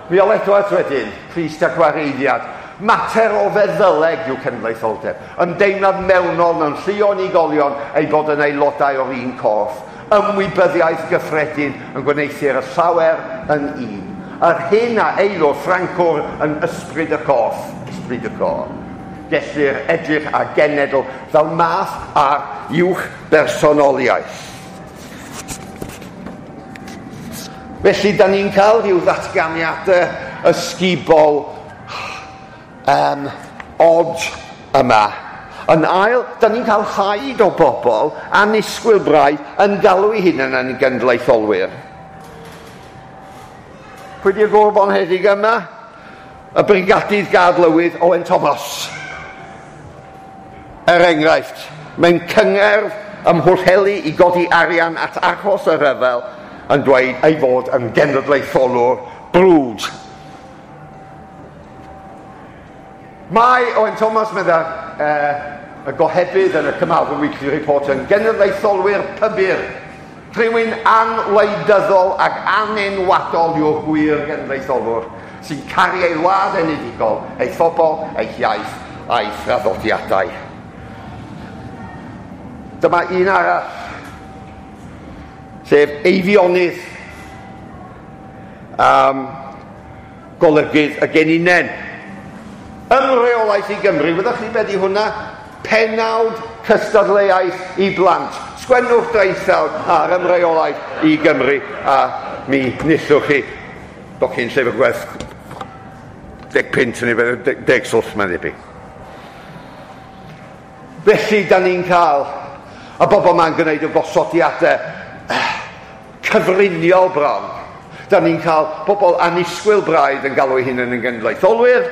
Miol Edwards wedyn, Crist a Gwareiddiad. Mater o feddyleg yw cenedlaetholdeb. Ymdeimlad mewnol mewn llu o unigolion ei bod yn aelodau o'r un corff. Ymwybyddiaeth gyffredin yn gwneuthur y llawer yn un. Yr hyn a eilw Ffrancwr yn ysbryd y corff. Ysbryd y corff. Gellir edrych ar genedl fel math ar uwch bersonoliaeth. Felly, da ni'n cael rhyw ddatganiadau ysgubol um, od yma. Yn ail, da ni'n cael haid o bobl annisgwyl braidd yn galw eu hunain yn genedlaetholwyr. Pwy di'r gŵr bonheddig yma? Y Brigadydd Gadlywydd Owen Thomas. Er enghraifft, mewn cyngerdd ym Mhwllheli i godi arian at achos y rhyfel yn dweud ei fod yn genedlaetholwr brwd. Mae Owen Thomas, medda uh, y gohebydd yn y Carmarthen Weekly Report, yn genedlaetholwyr pybyr. Rhywun anwleidyddol ac anenwadol yw'r gwir genedlaetholwr sy'n caru ei wlad enedigol, ei phobl, ei hiaith a'i thraddodiadau. Dyma un arall, sef Eifionydd, um, golygydd y Geninen. Ymreolaeth i Gymru, wyddech chi beth i hwnna? Penawd cystadleuaeth i blant. Sgwennwch draethawd ar ymreolaeth i Gymru a mi nillwch chi docyn llyfr gwerth deg punt neu beth, deg swllt mae'n debyg. Felly, da ni'n cael y bobl ma'n gwneud y gosodiadau cyfriniol bron. Da ni'n cael bobl annisgwyl braidd yn galw eu hunain yn genedlaetholwyr,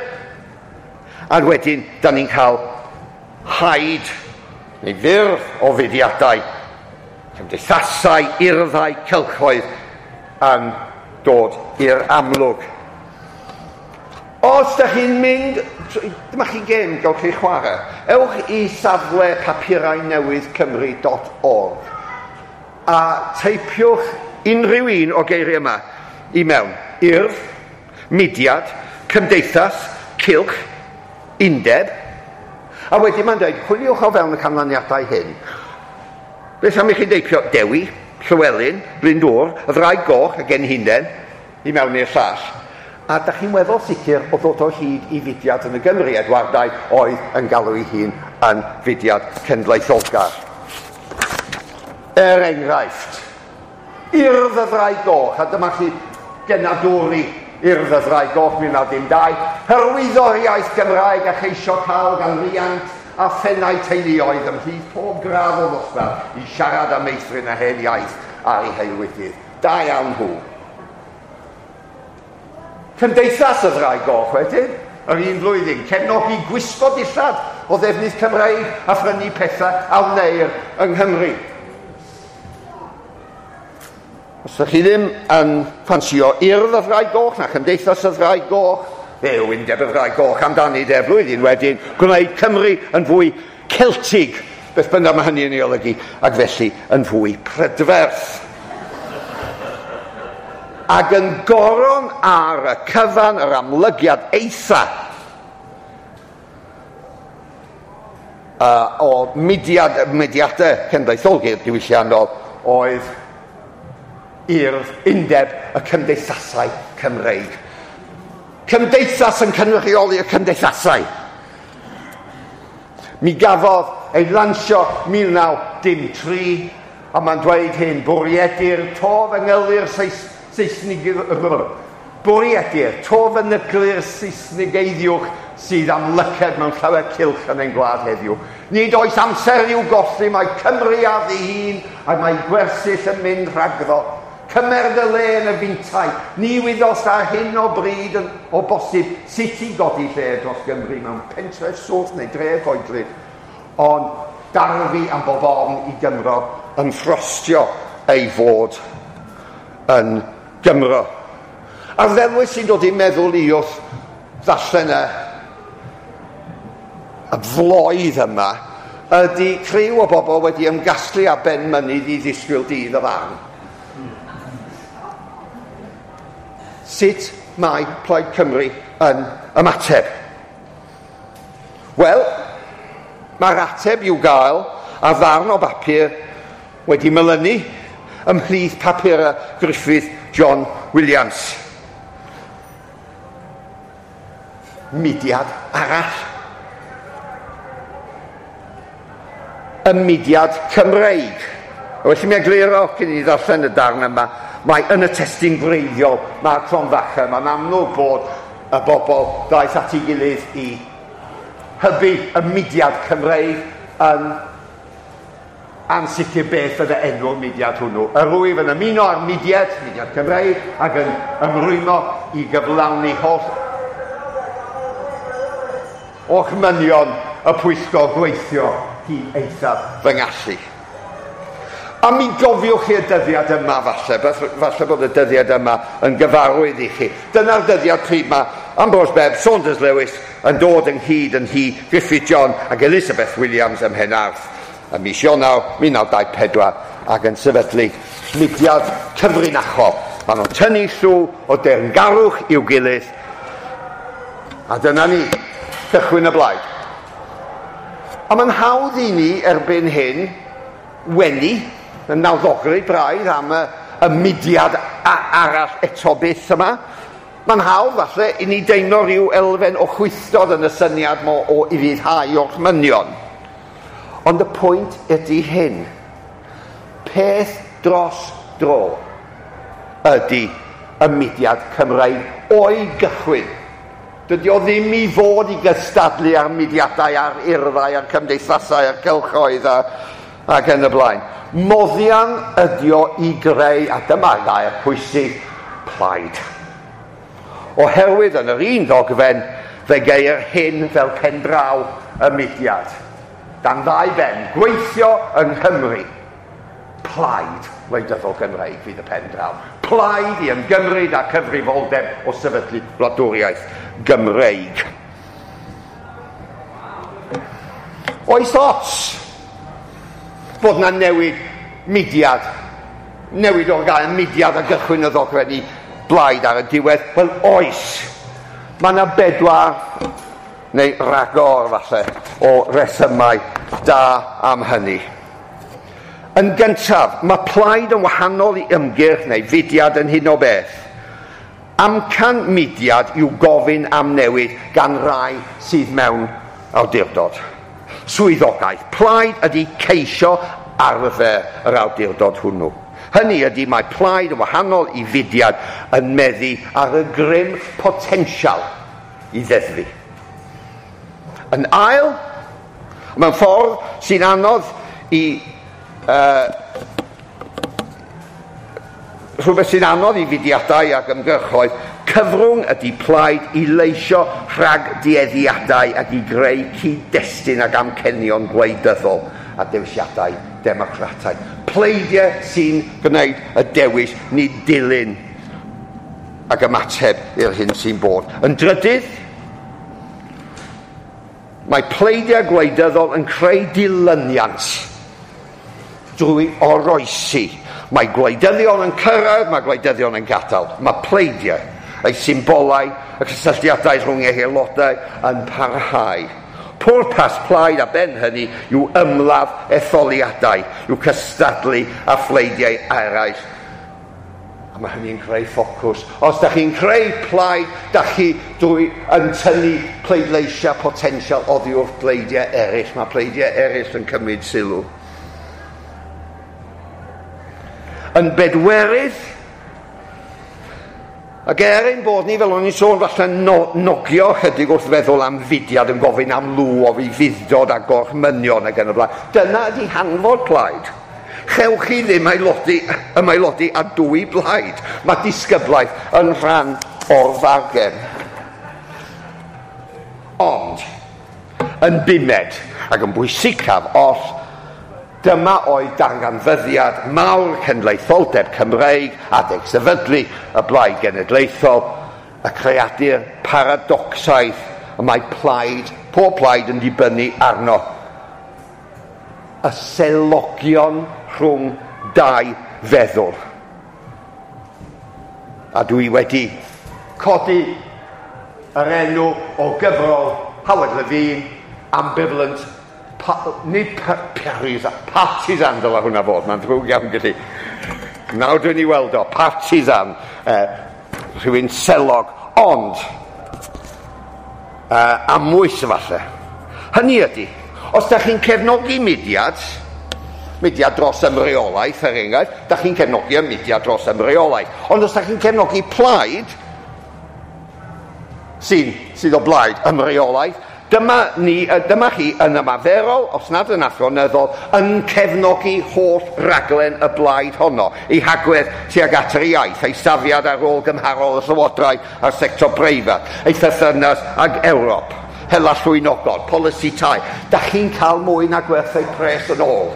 a wedyn da ni'n cael haid neu fyrdd o fudiadau, cymdeithasau, urddau, cylchoedd yn dod i'r amlwg. Os da chi'n mynd, dyma chi gêm gawch chi chwarae, ewch i safle papurau newydd Cymru dot org a teipiwch unrhyw un o geiriau yma i mewn. Urdd, mudiad, cymdeithas, cylch, undeb. A wedyn mae'n dweud, chwiliwch o fewn y canlyniadau hyn. Beth am i chi deipio Dewi, Llywelyn, Glyndŵr, y Ddraig Goch a Genhinen i mewn i'r llall. A da chi'n weddol sicr o ddod o hyd i fudiad yn y Gymru Edwardaidd oedd yn galw ei hun yn fudiad cenedlaetholgar. Er enghraifft, Urdd y Ddraig Goch, a dyma chi genadwri Urdd y Ddraig Goch mil naw dim dau, hyrwyddo'r iaith Gymraeg a cheisio cael gan riant a phennau teuluoedd ymhlith pob gradd o ddosbarth i siarad a meithrin y hen iaith ar ei haelwydydd. Da iawn nhw. Cymdeithas y Ddraig Goch wedyn, yr un flwyddyn, cefnogi gwisgo dillad o ddefnydd Cymreig a phrynu pethau a wneir yng Nghymru. Os ydych chi ddim yn ffansio Urdd y Ddraig Goch na Chymdeithas y Ddraig Goch, fe yw Undeb y Ddraig Goch amdani de flwyddyn wedyn, gwneud Cymru yn fwy Celtig, beth bynnag mae hynny yn ei olygu, ac felly yn fwy prydferth. Ac yn goron ar y cyfan yr amlygiad eitha uh, o mudiad, mudiadau cenedlaetholgar diwylliannol oedd Urdd Undeb y Cymdeithasau Cymreig. Cymdeithas yn cynrychioli y cymdeithasau. Mi gafodd ei lansio mil naw dim tri, a mae'n dweud hyn, bwriedir to fyngylu'r Saesnig... Bwriedir to fynyglu'r Saesnigeiddiwch sydd amlyced mewn llawer cylch yn ein gwlad heddiw. Nid oes amser i'w golli, mae Cymru ar ddihun, a mae gwersyll yn mynd rhagddo. Cymer dy le yn y fintai, ni wyddost ar hyn o bryd yn, o bosib sut i godi lle dros Gymru mewn pentref swth neu dref oedlyd, ond darfu am bob ofn i Gymro yn ffrostio ei fod yn Gymro. A'r ddelwedd sy'n dod i'n meddwl i wrth ddarllen y, y floedd yma ydy criw o bobl wedi ymgasglu ar ben mynydd i ddisgwyl dydd y farn. Sut mae Plaid Cymru yn ymateb? Wel, mae'r ateb i'w gael ar ddarn o bapur wedi melynu ymhlith papurau Griffith John Williams. Mudiad arall. Y mudiad Cymreig. A felly mi egluro cyn i ni ddarllen y darn yma, mae yn y testun gwreiddiol, mae'r cromfacha, mae'n amlwg bod y bobl ddaeth at ei gilydd i hybu y mudiad Cymreig yn ansicr beth fydde enw'r mudiad hwnnw. Yr wyf yn ymuno â'r mudiad, mudiad Cymreig, ac yn ymrwymo i gyflawni holl orchmynion y pwyllgor gweithio hyd eithaf fy ngallu. A mi gofiwch chi'r dyddiad yma falle, falle bod y dyddiad yma yn gyfarwydd i chi. Dyna'r dyddiad pryd mae Ambrose Bebb, Saunders Lewis yn dod ynghyd yn hi Griffith John ac Elizabeth Williams ym Mhenarth ym mis Ionawr mil naw dau pedwar ac yn sefydlu mudiad cyfrinachol. Maen nhw'n tynnu llw o deyrngarwch i'w gilydd. A dyna ni, cychwyn y blaid. A mae'n hawdd i ni erbyn hyn wenu yn nawddoglyd braidd am y, y mudiad arall eto byth yma. Mae'n hawdd falle i ni deimlo rhyw elfen o chwythdod yn y syniad mo o ufuddhau orchmynion. Ond y pwynt ydy hyn. Peth dros dro ydy y mudiad Cymreig o'i gychwyn. Dydy o ddim i fod i gystadlu ar mudiadau, ar urddau, ar cymdeithasau, ar gylchoedd a, ac yn y blaen. Moddian ydy o i greu, a dyma gair pwysig, plaid. Oherwydd yn yr un ddogfen, fe geir hyn fel pendraw y mudiad. Dan ddau ben, gweithio yng Nghymru. Plaid wleidyddol Gymreig fydd y pendraw. Plaid i ymgymryd â cyfrifoldeb o sefydlu gwladwriaeth Gymreig. Oes ots bod na newid mudiad, newid o'r gair mudiad a gychwyn y ddogfen i blaid ar y diwedd? Wel, oes. Mae yna bedwar, neu ragor falle, o resymau da am hynny. Yn gyntaf, mae plaid yn wahanol i ymgyrch neu fudiad yn hyn o beth. Amcan mudiad yw gofyn am newid gan rai sydd mewn awdurdod. Swyddogaeth plaid ydy ceisio arfer yr awdurdod hwnnw. Hynny ydy mae plaid yn wahanol i fudiad yn meddu ar y grym potensial i ddeddfu. Yn ail, mewn ffordd sy'n anodd i uh, rhywbeth sy'n anodd i fudiadau ac ymgyrchoedd, Cyfrwng ydy plaid i leisio rhag dueddiadau ac i greu cyd-destun ac amcenion gwleidyddol a dewisiadau democrataidd. Pleidiau sy'n gwneud y dewis, nid dilyn ac ymateb i'r hyn sy'n bod. Yn drydydd, mae pleidiau gwleidyddol yn creu dilyniant drwy oroesi. Mae gwleidyddion yn cyrraedd, mae gwleidyddion yn gadael. Mae pleidiau, ei symbolau, y cysylltiadau rhwng eu haelodau yn parhau. Pwrpas plaid a ben hynny yw ymladd etholiadau, yw cystadlu a phleidiau eraill. A mae hynny'n creu ffocws. Os da chi'n creu plaid, da chi drwy yn tynnu pleidleisiau potensial oddi wrth bleidiau eraill. Mae pleidiau eraill yn cymryd sylw. Yn bedwerydd, ac er ein bod ni, fel o'n i'n sôn, falle no, nogio chydig wrth feddwl am fudiad yn gofyn am lw o fuddod a gorchmynion ac yn y blaen. Dyna ydy hanfod plaid. Chewch chi ddim aelodi, ymaelodi a dwy blaid. Mae disgyblaeth yn rhan o'r fargen. Ond, yn bumed ac yn bwysicaf oll, dyma oedd darganfyddiad mawr cenedlaetholdeb Cymreig adeg sefydlu y Blaid Genedlaethol, y creadur paradocsaidd y mae plaid, pob plaid yn dibynnu arno. Y selogion rhwng dau feddwl. A dwi wedi codi yr enw o gyfrol Howard Levine, Ambivalent Pa, nid partisan, partisan dyla hwnna fod, mae'n ddrwg iawn gyda. Nawr dwi'n ei weld o, partisan, eh, rhywun selog, ond eh, amwys falle. Hynny ydy, os da chi'n cefnogi mudiad, mudiad dros ymreolaeth, er enghraifft, da chi'n cefnogi y mudiad dros ymreolaeth. Ond os da chi'n cefnogi plaid, sy'n, sydd o blaid ymreolaeth, dyma, ni, dyma chi yn ymarferol, os nad yn athronyddol, yn cefnogi holl raglen y blaid honno, ei hagwedd tuag at yr iaith, ei safiad ar ôl gymharol y llywodraeth a'r sector breifat, ei pherthynas ag Ewrop, hela llwynogod, polisi tai. Da chi'n cael mwy na gwerth eu pres yn ôl.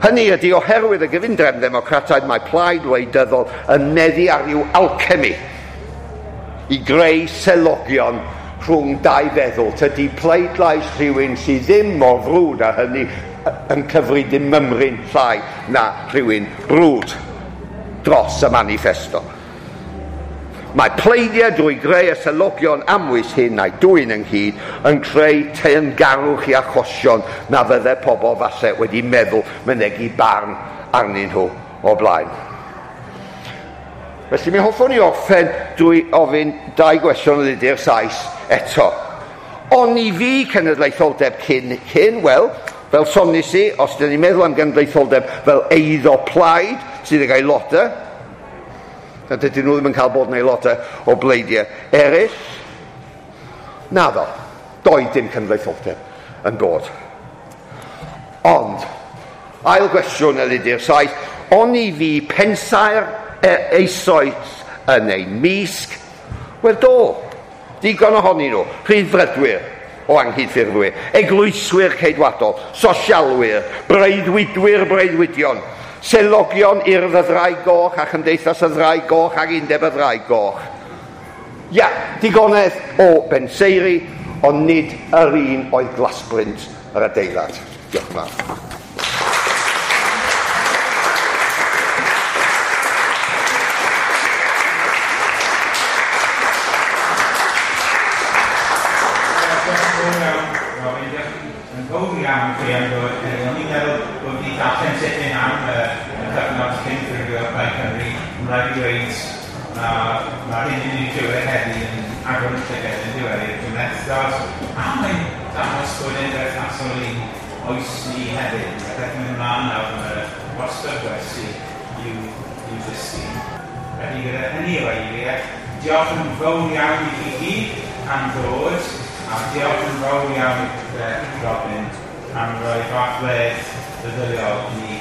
Hynny ydy oherwydd y gyfundrefn ddemocrataidd mae plaid wleidyddol yn meddu ar ryw alchemy i greu selogion rhwng dau feddwl. Tydi pleidlais rhywun sydd ddim mor frwd â hynny yn cyfri dim mymryn llai na rhywun brwd dros y manifesto. Mae pleidiau drwy greu y selogion amwys hyn a'i dwyn ynghyd yn creu teyrngarwch i achosion na fydde pobl falle wedi meddwl mynegi barn arnyn nhw o blaen. Felly mi hoffwn i orffen drwy ofyn dau gwestiwn ydy'r Sais eto. Oni fi cenedlaetholdeb cyn hyn? Wel, fel sonis i, os dyn ni'n meddwl am genedlaetholdeb fel eiddo plaid sydd ag aelodau, a dydyn nhw ddim yn cael bod yn aelodau o bleidiau eraill. Naddo, doedd dim cenedlaetholdeb yn bod. Ond, ail gwestiwn ydy'r Sais, oni fi pensaer eisoes yn ein misg? Wel do, digon ohonyn nhw, rhyddfrydwyr o anghydffurfwyr, eglwyswyr ceidwadol, sosialwyr, breuddwydwyr breuddwydion, selogion Urdd y Ddraig Goch a Chymdeithas y Ddraig Goch ac Undeb y Ddraig Goch. Ia, digonedd o benseiri, ond nid yr un oedd glasbrint yr adeilad. Diolch yn fawr. Iawn chi am ddod. O'n i'n meddwl bod ni darllen tipyn am y cyfnod cyn ffurfio Plaid Cymru. Mae'n rhaid i ddweud mae'r hyn i ni'n clywed heddi yn agor y llygad yn diwedd i'r cymhlethdod, a mae'n dangos bod e'n berthnasol i'n oes ni hefyd. Mae peth yn mynd ymlaen nawr, mae wastad gwersi i'w, i'w ddysgu. Felly gyda hynny o eiriau, diolch yn fawr iawn i chi gyd am ddod, a diolch yn fawr iawn i Robin am roi fath wedd feddyliol i ni.